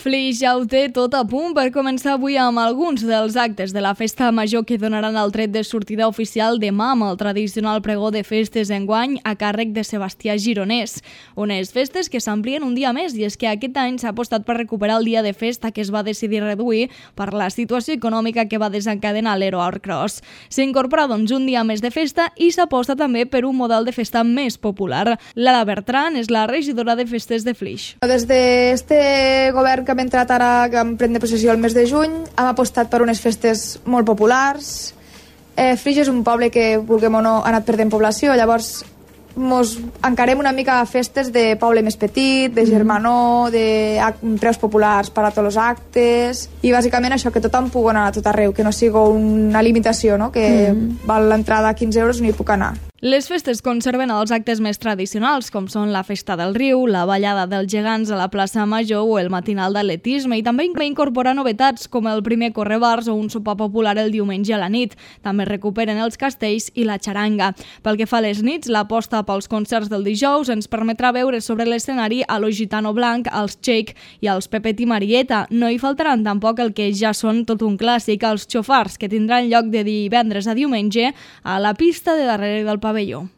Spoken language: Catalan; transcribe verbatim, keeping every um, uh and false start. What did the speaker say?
Flix ja ho té tot a punt per començar avui amb alguns dels actes de la festa major que donaran el tret de sortida oficial demà amb el tradicional pregó de festes enguany a càrrec de Sebastià Gironès. Unes festes que s'amplien un dia més i és que aquest any s'ha apostat per recuperar el dia de festa que es va decidir reduir per la situació econòmica que va desencadenar l'Ero Outcross. S'incorpora doncs un dia més de festa i s'aposta també per un model de festa més popular. Lara Bertran és la regidora de festes de Flix. Des d'este govern que hem entrat ara, que hem pres possessió el mes de juny, hem apostat per unes festes molt populars. Eh, Flix és un poble que, vulguem o no, ha anat perdent població, llavors mos encarem una mica a festes de poble més petit, de germanor, de preus populars per a tots els actes, i bàsicament això, que tothom pugui anar a tot arreu, que no sigui una limitació, no? Que mm. val l'entrada a quinze euros i no hi puc anar. Les festes conserven els actes més tradicionals, com són la Festa del Riu, la Ballada dels Gegants a la plaça Major o el matinal d'atletisme, i també incorpora novetats com el primer correbars o un sopar popular el diumenge a la nit. També recuperen els castells i la xaranga. Pel que fa a les nits, l'aposta pels concerts del dijous ens permetrà veure sobre l'escenari a lo Gitano Blanc, els Shake i els Pepet i Marieta. No hi faltaran tampoc el que ja són tot un clàssic, els xofars, que tindran lloc de divendres a diumenge a la pista de darrere del pavelló.